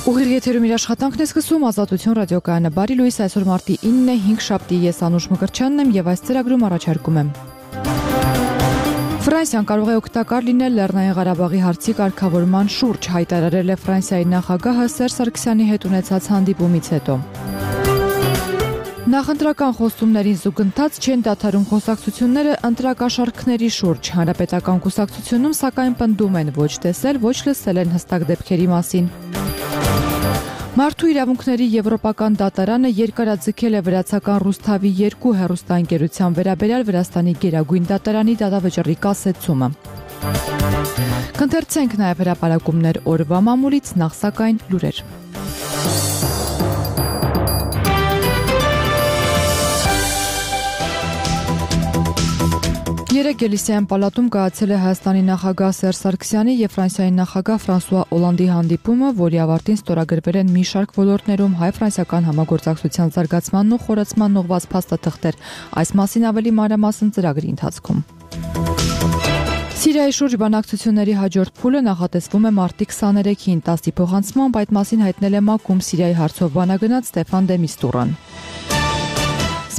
Ուղիղ եթերում իր աշխատանքն է սկսում Ազատություն ռադիոկայանը։ Բարի լույս, այսօր մարտի 9-ն է, 5 շաբթի, ես Անուշ Մկրտչյանն եմ եւ այս ծրագրում առաջարկում եմ. Ֆրանսիան կարող է օգտակար լինել Լեռնային Ղարաբաղի հարցի կարգավորման շուրջ, հայտարարել է Ֆրանսիայի նախագահը Սերժ Սարգսյանի հետ ունեցած հանդիպումից հետո։ Նախընտրական խոստումներին զուգընթաց չեն դադարում խոսակցությունները ընտրակաշառքների շուրջ։ Հանրապետական կուսակցությունում սակայն պնդում են ոչ տեսել, ոչ լսել են հստակ դեպքերի մասին։ Մարդու իրավունքների եվրոպական դատարանը երկարաձգել է վրացական Ռուսթավի 2 հեռուստաընկերության վերաբերյալ Վրաստանի գերագույն դատարանի դատավճռի կասեցումը։ Կընթերցենք նաև հրապարակումներ օրվա մամուլից, նախ սակայն լուրեր։ Երեկ Էլիսեյան պալատում կայացել է Հայաստանի նախագահ Սերժ Սարգսյանի եւ Ֆրանսիայի նախագահ Ֆրանսուଆ Օլանդի հանդիպումը, որի ավարտին ստորագրվել են մի շարք ոլորտներում հայ-ֆրանսիական համագործակցության զարգացմանն ու խորացմանն ուղղված փաստաթղթեր։ Այս մասին ավելի մանրամասն ծրագրի ընթացքում։ Սիրիայի շուրջ բանակցությունների հաջորդ փուլը նախատեսվում է մարտի 23-ին, 10-ի փոխանցմամբ այդ մասին հայտնել է ՄԱԿ-ում Սիրիայի հարցով բանագնաց Ստեֆան դե Միստուրան։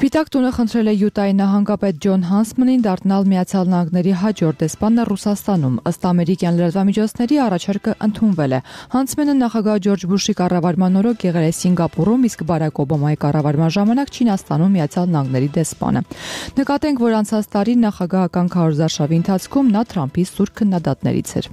Սպիտակ տունը խնդրել է Յուտայի նահանգապետ Ջոն Հանսմանին դառնալ Միացյալ Նահանգների հաջորդ դեսպանը Ռուսաստանում։ Ըստ ամերիկյան լրատվամիջոցների առաջարկը ընդունվել է։ Հանսմանը նախագահ Ջորջ Բուշի կառավարման օրոք եղել է Սինգապուրում, իսկ Բարակ Օբամայի կառավարման ժամանակ Չինաստանում Միացյալ Նահանգների դեսպանը։ Նկատենք, որ անցած տարի նախագահական քարոզարշավի ընթացքում նա Թրամփի սուր քննադատներից էր։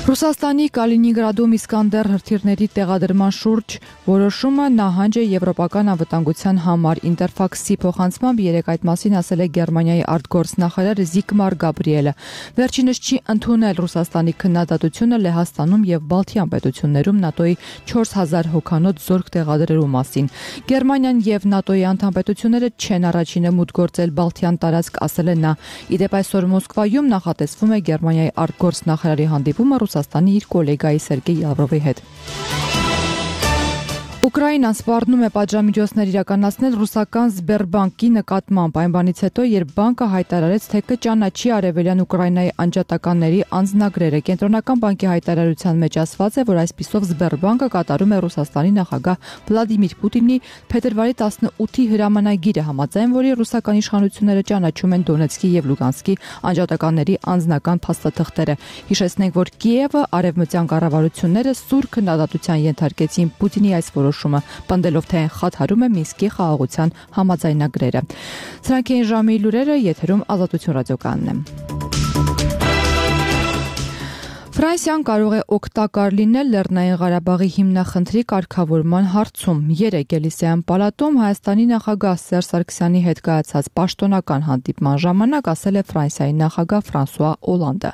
Ռուսաստանի Կալինինգրադում Իսկանդեր հրթիռների տեղադրման շուրջ որոշումը նահանջ է եվրոպական անվտանգության համար։ Ինտերֆաքսի փոխանցմամբ երեկ այդ մասին ասել է Գերմանիայի արտգործնախարար Զիգմար Գաբրիելը։ Վերջինս չի ընդունել Ռուսաստանի քննադատությունը Լեհաստանում եւ Բալթյան պետություններում ՆԱՏՕ-ի 4000 հոգանոց զորք տեղադրելու մասին։ Գերմանիան եւ ՆԱՏՕ-ի անդամ պետությունները չեն առաջինը մուտք գործել Բալթյան տարածք, ասել է նա։ Իդեպ այսօր Մոսկվայում նախատեսվում է Գերմանիայի արտգործնախարարի հանդիպումը Ռուսաստանի իր գոլեգայի Սերգեյ Լավրովի հետ։ Ուկրաինան սպառնում է պատժամիջոցներ իրականացնել ռուսական Սբերբանկի նկատմամբ այն բանից հետո, երբ բանկը հայտարարեց, թե կճանաչի արևելյան Ուկրաինայի անջատականների անձնագրերը։ Կենտրոնական բանկի հայտարարության մեջ ասված է, որ այսպիսով Սբերբանկը կատարում է Ռուսաստանի նախագահ Վլադիմիր Պուտինի փետրվարի 18-ի հրամանագիրը, համաձայն որի ռուսական իշխանությունները ճանաչում են Դոնեցկի եւ Լուգանսկի անջատականների անձնական փաստաթղթերը։ Հիշեցնենք, որ Կիևը արևմտյան կառավարությունները սուր քննադատության ենթարկեցին Պուտինի այս որոշումը, պնդելով, թե խաթարում է Մինսկի խաղաղության համաձայնագրերը։ Սրանք էին ժամի լուրերը, եթերում Ազատություն ռադիոկայանն է։ Ֆրանսիան կարող է օգտակար լինել Լեռնային Ղարաբաղի հիմնախնդրի կարգավորման հարցում։ Երեկ Էլիսեյան պալատում Հայաստանի նախագահ Սերժ Սարգսյանի հետ կայացած պաշտոնական հանդիպման ժամանակ ասել է Ֆրանսիայի նախագահ Ֆրանսուଆ Օլանդը։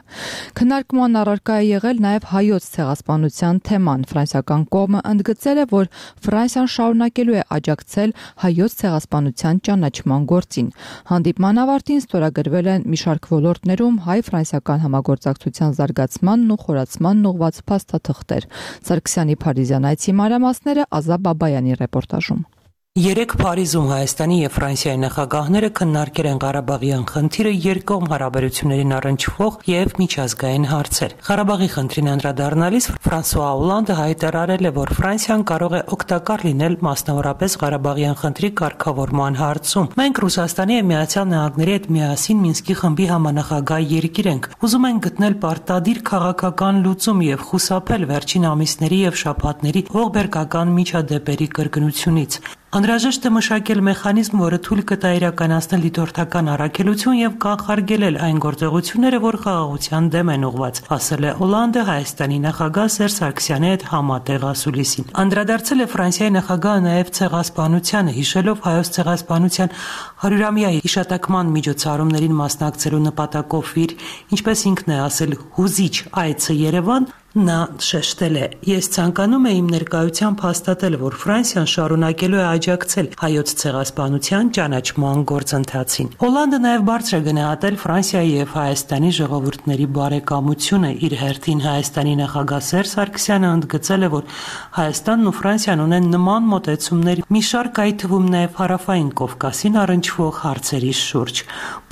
Քննարկման առարկա է եղել նաև հայոց ցեղասպանության թեման։ Ֆրանսիական կողմը ընդգծել է, որ Ֆրանսիան շարունակելու է աջակցել հայոց ցեղասպանության ճանաչման գործին։ Հանդիպման ավարտին ստորագրվել են մի շարք ոլորտներում հայ-ֆրանսիական համագործակցության զարգացման ու խորացման ուղղված փաստաթղթեր։ Սարգսյանի Փարիզյան այցի մանրամասները Ազա Բաբայանի ռեպորտաժում։ Երեկ Փարիզում Հայաստանի եւ Ֆրանսիայի նախագահները քննարկել են Ղարաբաղյան խնդիրը երկկողմ հարաբերություններին առնչվող եւ միջազգային հարցեր։ Ղարաբաղի խնդրին անդրադառնալիս Ֆրանսուଆ Օլանդը հայտարարել է, որ Ֆրանսիան կարող է օգտակար լինել մասնավորապես Ղարաբաղյան խնդրի կարգավորման հարցում։ Մենք Ռուսաստանի եւ Միացյալ Նահանգների հետ միասին Մինսկի խմբի համանախագահ երկիր ենք։ Ուզում ենք գտնել պարտադիր քաղաքական լուծում եւ խուսափել վերջին ամիսների եւ շաբաթների ողբերգական միջադեպերի կրկնությունից։ Անհրաժեշտ է մշակել մեխանիզմ, որը թույլ կտա իրականացնել դիտորդական առաքելություն եւ կանխարգելել այն գործողությունները, որ խաղաղության դեմ են ուղղված, ասել է Օլանդը Հայաստանի նախագահ Սերժ Սարգսյանի հետ համատեղ ասուլիսին։ Անդրադարձել է Ֆրանսիայի նախագահը նաեւ ցեղասպանությանը, հիշելով հայոց ցեղասպանության 100-ամյա հիշատակման միջոցառումներին մասնակցելու նպատակով իր, ինչպես ինքն է ասել, հուզիչ այցը Երևան, նա շեշտել է. «Ես ցանկանում եմ իմ ներկայությամբ հաստատել, որ Ֆրանսիան շարունակելու է աջակցել հայոց ցեղասպանության ճանաչման գործընթացին»։ Օլանդը նաև բարձր է գնահատել Ֆրանսիայի եւ Հայաստանի ժողովուրդների բարեկամությունը։ Իր հերթին Հայաստանի նախագահ Սերժ Սարգսյանը ընդգծել է, որ Հայաստանն ու Ֆրանսիան ունեն նման մոտեցումներ մի շարք, այդ թվում նաև Հարավային Կովկասին առնչվող հարցերի շուրջ։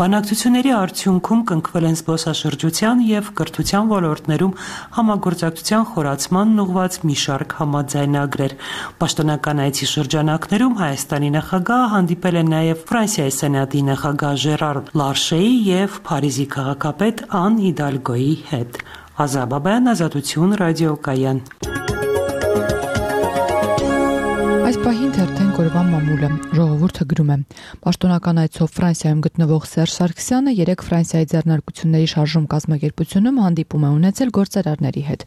Բանակցությունների արդյունքում կնքվել են զբոսաշրջության եւ կրթության ոլորտներում համագործակցության համագործակցության խորացմանն ուղղված մի շարք համաձայնագրեր։ Պաշտոնական այցի շրջանակներում Հայաստանի նախագահը հանդիպել է նաև Ֆրանսիայի սենատի նախագահ Ժերար Լարշեի եւ Փարիզի քաղաքապետ Ան Հիդալգոյի հետ։ Ազա Բաբայան, Ազատություն, ռադիոկայան։ Այս պահին թերթեն կորվան մամուլը ժողովուրդը գրում է. Պաշտոնական այցով Ֆրանսիայում գտնվող Սերժ Սարգսյանը երեք Ֆրանսիայի ձեռնարկությունների շարժում կազմակերպությունում հանդիպում է ունեցել գործարարների հետ։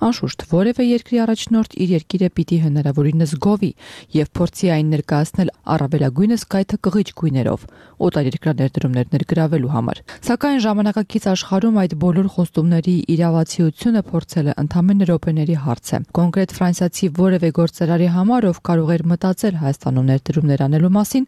Անշուշտ որևէ երկրի առաջնորդ իր երկիրը պիտի հնարավորինս գովի եւ փորձի այն ներկայացնել առավելագույնս կայքը կղիչ գույներով օտարերկրյա ներդրումներ ներգրավելու համար։ Սակայն ժամանակակից աշխարհում այդ բոլոր խոստումների իրավացիությունը փորձելը ընդամենը րոպեների հարց է։ Կոնկրետ ֆրանսիացի որևէ գործարարի համար, ով կարող էր մտածել Հայաստանում ներդրումներ անելու մասին,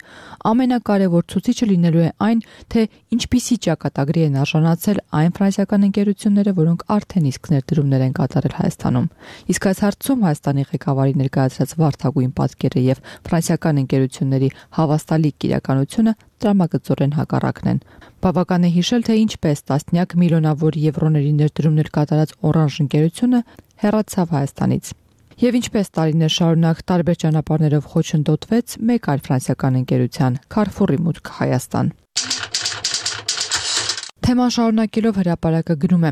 ամենակարևոր ցուցիչը լինելու է այն, թե ինչպիսի ճակատագրի են արժանացել այն ֆրանսիական ընկերությունները, որոնք արդեն իսկ ներդրումներ են կատարել Հայաստանում։ Իսկ այս հարցում Հայաստանի ղեկավարի ներկայացրած վարդագույն պատկերը եւ ֆրանսիական ընկերությունների հավաստալի իրականությունը տրամագծորեն հակառակն են։ Բավական է հիշել, թե ինչպես տասնյակ միլիոնավոր եվրոների ներդրումներ կատարած Օրանժ ընկերությունը հեռացավ Հայաստանից։ Եվ ինչպես տարիներ շարունակ տարբեր ճանապարհներով խոչընդոտվեց մեկ այլ ֆրանսիական ընկերության՝ Carrefour-ի մուտք Հայաստան։ Թեման շարունակելով հրապարակը գրում է.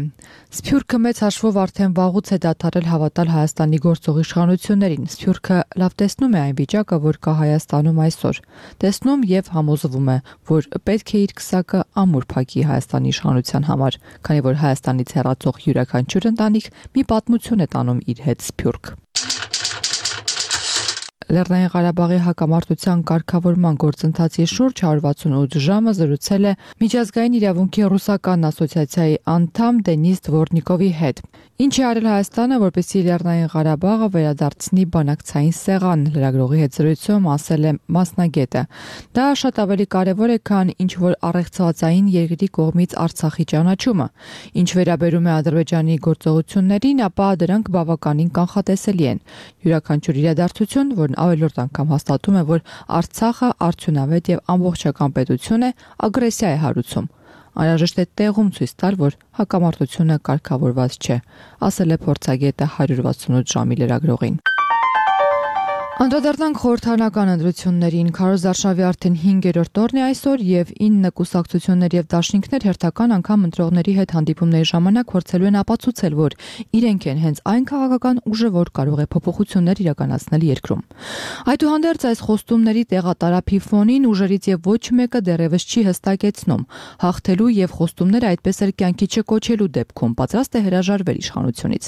Սփյուռքը մեծ հաշվով արդեն վաղուց է դադարել հավատալ Հայաստանի գործող իշխանություններին։ Սփյուռքը լավ տեսնում է այն վիճակը, որ կա Հայաստանում այսօր։ Տեսնում եւ համոզվում է, որ պետք է իր քսակը ամուր փակի Հայաստանի իշխանության համար, քանի որ Հայաստանից հեռացող յուրաքանչյուր ընտանիք մի պատմություն է տանում իր հետ Սփյուռք։ Լեռնային Ղարաբաղի հակամարտության կարգավորման գործընթացի շուրջ 168 ժամը զրուցել է Միջազգային իրավունքի ռուսական ասոցիացիայի անդամ Դենիս Դվորնիկովի հետ։ Ինչ է արել Հայաստանը, որպեսզի Լեռնային Ղարաբաղը վերադարձնի բանակցային սեղան, լրագրողի հետ զրույցում ասել է մասնագետը։ Դա շատ ավելի կարևոր է, քան ինչ որ առեղծվածային երկրի կողմից Արցախի ճանաչումը։ Ինչ վերաբերում է Ադրբեջանի գործողություններին, ապա դրանք բավականին կանխատեսելի են։ Յուրաքանչյուր իրադարձություն, որն ավելորդ անգամ հաստատում է, որ Արցախը արդյունավետ եւ ամբողջական պետություն է, ագրեսիա է հարուցում։ Անհրաժեշտ է տեղում ցույց տալ, որ հակամարտությունը կարգավորված չէ, ասել է փորձագետը 168 ժամի լրագրողին։ Անդրադառնանք խորհրդարանական ընտրություններին։ Քարոզ Արշավի արդեն 5-րդ օրն է այսօր եւ 9 կուսակցություններ եւ դաշինքներ հերթական անգամ ընտրողների հետ հանդիպումների ժամանակ փորձելու են ապացուցել, որ իրենք են հենց այն քաղաքական ուժը, որ կարող է փոփոխություններ իրականացնել երկրում։ Այդուհանդերձ այս խոստումների տեղատարափի ֆոնին ուժերից եւ ոչ մեկը դեռևս չի հստակեցնում հաղթելու եւ խոստումները այդպես էլ կյանքի չկոչելու դեպքում պատրաստ է հրաժարվել իշխանությունից։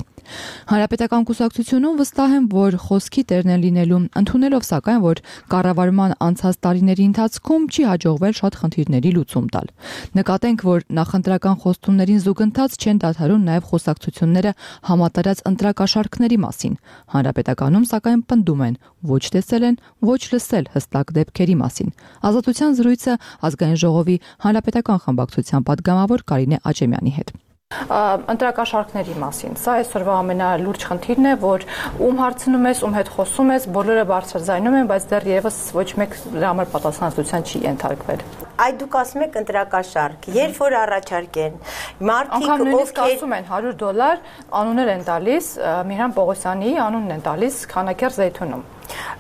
Հանրապետական կուսակցությունում վստահ են, որ խոսքի տերն են լինելու, ընդունելով սակայն, որ կառավարման անցած տարիների ընթացքում չի հաջողվել շատ խնդիրների լուծում տալ։ Նկատենք, որ նախընտրական խոստումներին զուգընթաց չեն դադարում նաև խոսակցությունները համատարած ընտրակաշառքների մասին։ Հանրապետականում սակայն պնդում են, ոչ տեսել են, ոչ լսել հստակ դեպքերի մասին։ Ազատության զրույցը ազգային ժողովի հանրապետական խմբակցության падգամավոր Կարինե Աճեմյանի հետ։ Ընտրակաշառքների մասին։ Սա այսօրվա ամենալուրջ խնդիրն է, որ ում հարցնում ես, ում հետ խոսում ես, բոլորը բարձրաձայնում են, բայց դեռևս ոչ մեկ դրա համար պատասխանատվության չի ենթարկվել։ Այդ դուք ասում եք ընտրակաշառք, երբ որ առաջարկեն, մարդիկ ովքեր ասում են $100 անուններ են տալիս, Միհրան Պողոսյանի անունն են տալիս Քանաքեռ Զեյթունում։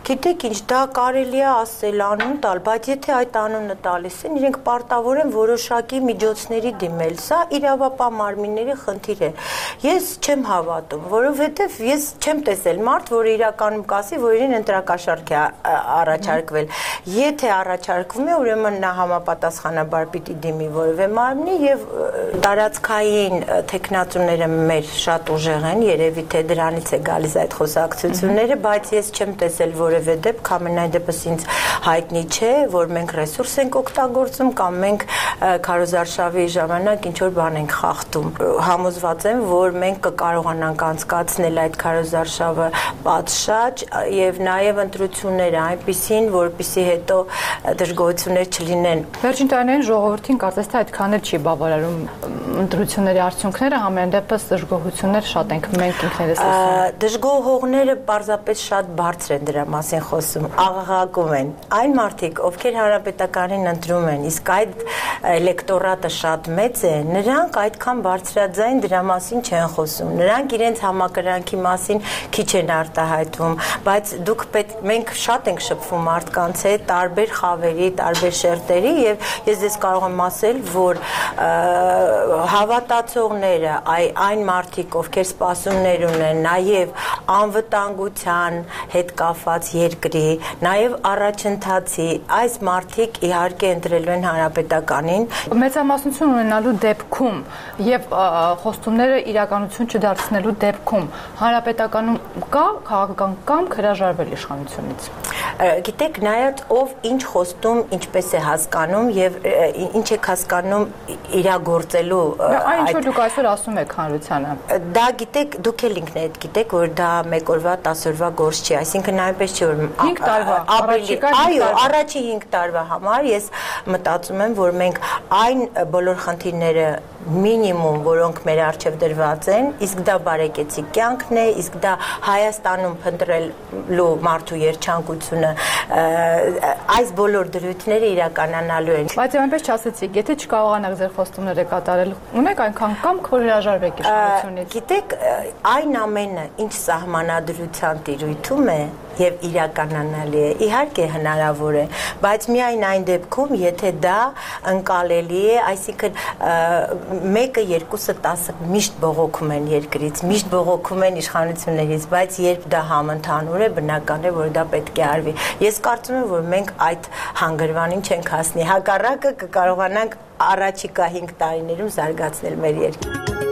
Գիտեք ինչ, դա կարելի է ասել անուն տալ, բայց եթե այդ անունը տալիս են, իրենք պարտավոր են որոշակի միջոցների դիմել։ Սա իրավապահ մարմինների խնդիր է։ Ես չեմ հավատում, որովհետև ես չեմ տեսել մարդ, որը իրականում կասի, որ իրեն ընտրակաշառք է առաջարկվել։ Եթե առաջարկվում է, ուրեմն նա համապատասխանաբար պիտի դիմի որևէ մարմնի եւ տարածքային թեկնածուները մեր շատ ուժեղ են, երևի թե դրանից է գալիս այդ խոսակցությունները, բայց ես չեմ տեսել որևէ դեպք, ամենայն դեպս ինձ հայտնի չէ, որ մենք ռեսուրս ենք օգտագործում կամ մենք քարոզարշավի ժամանակ ինչ-որ բան ենք խախտում։ Համոզված եմ, որ մենք կկարողանանք անցկացնել այդ քարոզարշավը պատշաճ եւ նաեւ ընտրությունները այնպիսին, որպիսի հետո դժգոհություններ չլինեն։ Վերջին տարիներին ժողովրդին կարծես թե այդքան էլ չի բավարարում ընտրությունների արդյունքները համեն դեպս դժգոհություններ շատ ենք մենք ինքներս լսում։ Դժգոհողները պարզապես շատ բարձր են դրա մասին խոսում, աղաղակում են։ Այն մարդիկ, ովքեր հանրապետականին ընտրում են, իսկ այդ էլեկտորատը շատ մեծ է, նրանք այդքան բարձրաձայն դրա մասին չեն խոսում։ Նրանք իրենց համակրանքի մասին քիչ են արտահայտվում, բայց մենք շատ ենք շփվում մարդկանց հետ, տարբեր խավերի, տարբեր շերտերի, եւ ես դες կարող եմ ասել, որ հավատացողները, այն մարդիկ, ովքեր սպասումներ ունեն, նաեւ անվտանգության հետ կապված երկրի, նաեւ առաջընթացի, այս մարդիկ իհարկե ընտրելու են հանրապետականին։ Մեծամասնություն ունենալու դեպքում եւ խոստումները իրականություն չդարձնելու դեպքում հանրապետականում կա քաղաքական կամք հրաժարվել իշխանությունից։ Գիտեք, նայած ով ինչ խոստում, ինչպես է հասկանում եւ ինչ եք հասկանում իրագործելու այն ինչ որ դուք այսօր ասում եք հանրությանը։ Դա գիտեք, դուք էլ ինքներդ գիտեք, որ դա 1 օրվա 10 օրվա գործ չի, այսինքն այնպես չէ որ 5 տարվա, այո, առաջի 5 տարվա համար ես մտածում եմ, որ մենք այն բոլոր խնդիրները մինիմում, որոնք մեր առջև դրված են, իսկ դա բարեկեցիկ կյանքն է, իսկ դա Հայաստանում փնտրելու մարդու երջանկությունը, այս բոլոր դրույթները իրականանալու են։ Բայց այնպես չասեցիք, եթե չկարողանաք ձեր խոստումները կատարել, ունեք այնքան կամք, որ հրաժարվեք իշխանությունից։ Գիտեք, այն ամենը, ինչ սահմանադրության տիրույթում է եւ իրականանալի է, իհարկե հնարավոր է, բայց միայն այն դեպքում, եթե դա ընկալելի է, այսինքն 1-ը, 2-ը, 10-ը միշտ բողոքում են երկրից, միշտ բողոքում են իշխանություններից, բայց երբ դա համընդհանուր է, բնական է, որ դա պետք է արվի։ Ես կարծում եմ, որ մենք այդ հանգրվանին չենք հասնի, հակառակը կկարողանանք առաջիկա 5 տարիներում զարգացնել մեր երկիրը։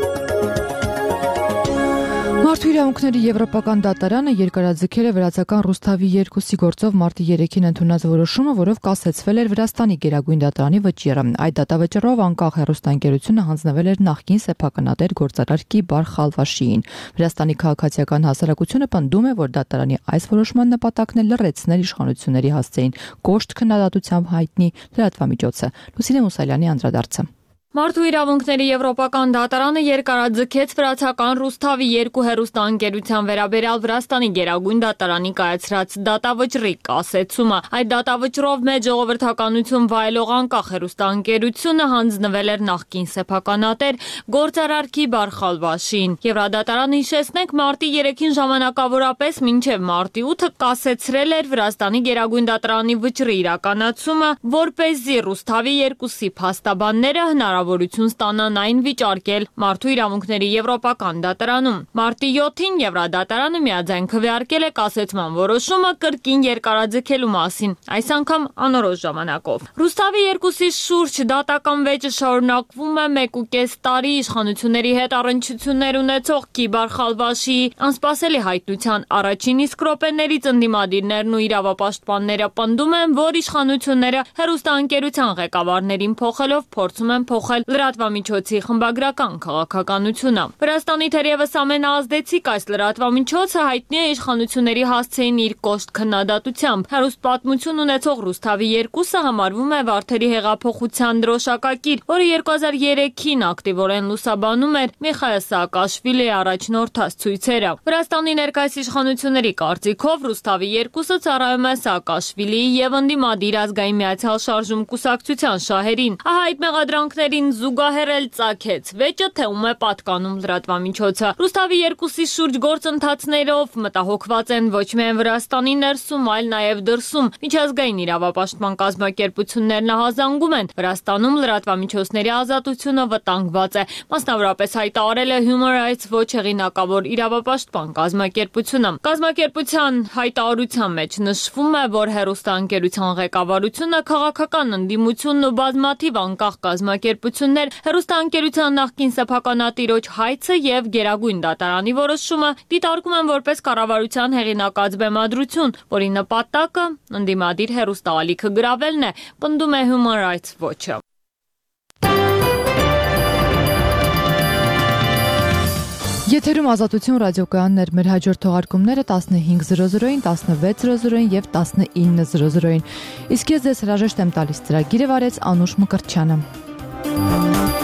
Մարդու իրավունքների եվրոպական դատարանը երկարաձգել է վրացական Ռուսթավի 2-ի գործով մարտի 3-ին ընդունած որոշումը, որով կասեցվել էր Վրաստանի գերագույն դատարանի վճիռը։ Այդ դատավճռով անկախ հեռուստաընկերությունը հանձնվել էր նախկին սեփականատեր գործարար Կիբար Խալվաշիին։ Վրաստանի քաղաքացիական հասարակությունը պնդում է, որ դատարանի այս որոշման նպատակն է լրացնել իշխանությունների հասցեին կոշտ քննադատությամբ հայտնի լրատվամիջոցը։ Լուսինե Մուսալյանի անդրադարձը։ Մարդու իրավունքների եվրոպական դատարանը երկարաձգեց վրացական Ռուսթավի 2 հեռուստաընկերության վերաբերյալ Վրաստանի գերագույն դատարանի կայացրած դատավճռի կասեցումը։ Այդ դատավճռով մեծ ժողովրդականություն վայելող անկախ հեռուստաընկերությունը հանձնվել էր նախկին սեփականատեր գործարար Կիբար Խալվաշին։ Եվրադատարանը հիշեցնենք մարտի 3-ին ժամանակավորապես մինչև մարտի 8-ը կասեցրել էր Վրաստանի գերագույն դատարանի վճռի իրականացումը, որպեսզի Ռուսթավի 2-ի փաստաբանները հնարավորություն ստանան այն վիճարկել մարդու իրավունքների եվրոպական դատարանում։ Մարտի 7-ին Եվրադատարանը միաձայն քվեարկել է կասեցման որոշումը կրկին երկարաձգելու մասին, այս անգամ անորոշ ժամանակով։ Ռուսթավի 2-ի շուրջ դատական վեճը շարունակվում է 1.5 տարի իշխանությունների հետ առնչություններ ունեցող Կիբար Խալվաշիի անսպասելի հայտնության առաջին իսկ րոպեներից ընդդիմադիրներն ու իրավապաշտպանները պնդում են, որ իշխանությունները հեռուստաընկերության ղեկավարներին փոխելով փորձում են փոխել լրատվամիջոցի խմբագրական քաղաքականությունը։ Վրաստանի թերևս ամենաազդեցիկ այս լրատվամիջոցը հայտնի է իշխանությունների հասցեին իր կոշտ քննադատությամբ։ Հեռուստ պատմություն ունեցող Ռուսթավի 2-ը համարվում է Վարդերի հեղափոխության դրոշակակիր, որը 2003-ին ակտիվորեն լուսաբանում էր Միխայել Սաակաշվիլիի առաջնորդած ցույցերը։ Վրաստանի ներկայիս իշխանությունների կարծիքով Ռուսթավի 2-ը ծառայում է Սաակաշվիլիի եւ ընդդիմադիր ազգային միացյալ շարժում կուսակցության շահերին։ Ահա այդ մեղադրանքներին զուգահեռ էլ ծագեց վեճը, թե ում է պատկանում լրատվամիջոցը։ Ռուսթավի 2-ի շուրջ գործընթացներով մտահոգված են ոչ միայն Վրաստանի ներսում, այլ նաև դրսում։ Միջազգային իրավապաշտպան կազմակերպություններն ահազանգում են Վրաստանում լրատվամիջոցների ազատությունը վտանգված է։ Մասնավորապես հայտարարել է Human Rights Watch հեղինակավոր իրավապաշտպան կազմակերպությունը։ Կազմակերպության հայտարարության մեջ նշվում է, որ հեռուստաընկերության ղեկավարությունը քաղաքական ընդդիմությունն ու բազմաթիվ անկախ կազմակերպություններ հեռուստաընկերության նախկին սեփականատիրոջ հայցը եւ գերագույն դատարանի որոշումը դիտարկում են որպես կառավարության հեղինակած բեմադրություն, որի նպատակը ընդդիմադիր հեռուստաալիքը գրավելն է, պնդում է Human Rights Watch-ը։ Եթերում Ազատություն ռադիոկայաններ, մեր հաջորդ թողարկումները 15:00-ին, 16:00-ին եւ 19:00-ին։ Իսկ ես ձեզ հրաժեշտ եմ տալիս, ծրագիրը վարեց Անուշ Մկրտչյանը։